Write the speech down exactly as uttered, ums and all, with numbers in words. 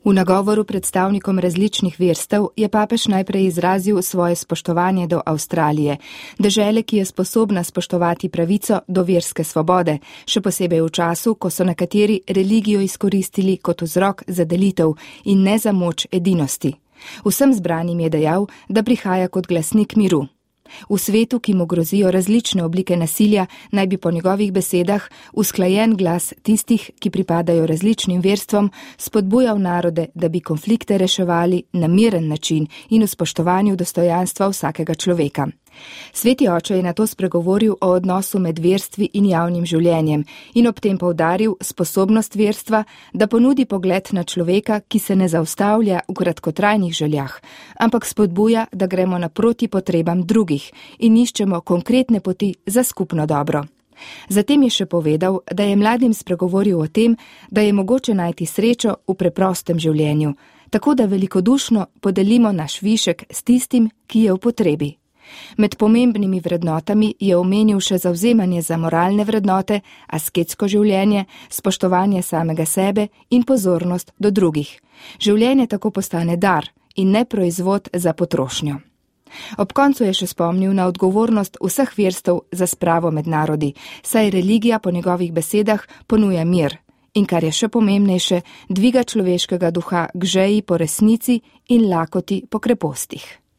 V nagovoru predstavnikom različnih verstev je papež najprej izrazil svoje spoštovanje do Avstralije, dežele, ki je sposobna spoštovati pravico do verske svobode, še posebej v času, ko so nekateri religijo izkoristili kot vzrok za delitev in ne za moč edinosti. Vsem zbranim je dejal, da prihaja kot glasnik miru. V svetu, ki mu grozijo različne oblike nasilja, naj bi po njegovih besedah usklajen glas tistih, ki pripadajo različnim verstvom, spodbujal narode, da bi konflikte reševali na miren način in v spoštovanju dostojanstva vsakega človeka. Sveti oče je nato spregovoril o odnosu med verstvi in javnim življenjem in ob tem poudaril sposobnost verstva, da ponudi pogled na človeka, ki se ne zaustavlja v kratkotrajnih željah, ampak spodbuja, da gremo naproti potrebam drugih in iščemo konkretne poti za skupno dobro. Zatem je še povedal, da je mladim spregovoril o tem, da je mogoče najti srečo v preprostem življenju, tako da velikodušno podelimo naš višek s tistim, ki je v potrebi. Med pomembnimi vrednotami je omenil še zavzemanje za moralne vrednote, asketsko življenje, spoštovanje samega sebe in pozornost do drugih. Življenje tako postane dar in ne proizvod za potrošnjo. Ob koncu je še spomnil na odgovornost vseh verstev za spravo med narodi, saj religija po njegovih besedah ponuja mir in, kar je še pomembnejše, dviga človeškega duha k žeji po resnici in lakoti po krepostih.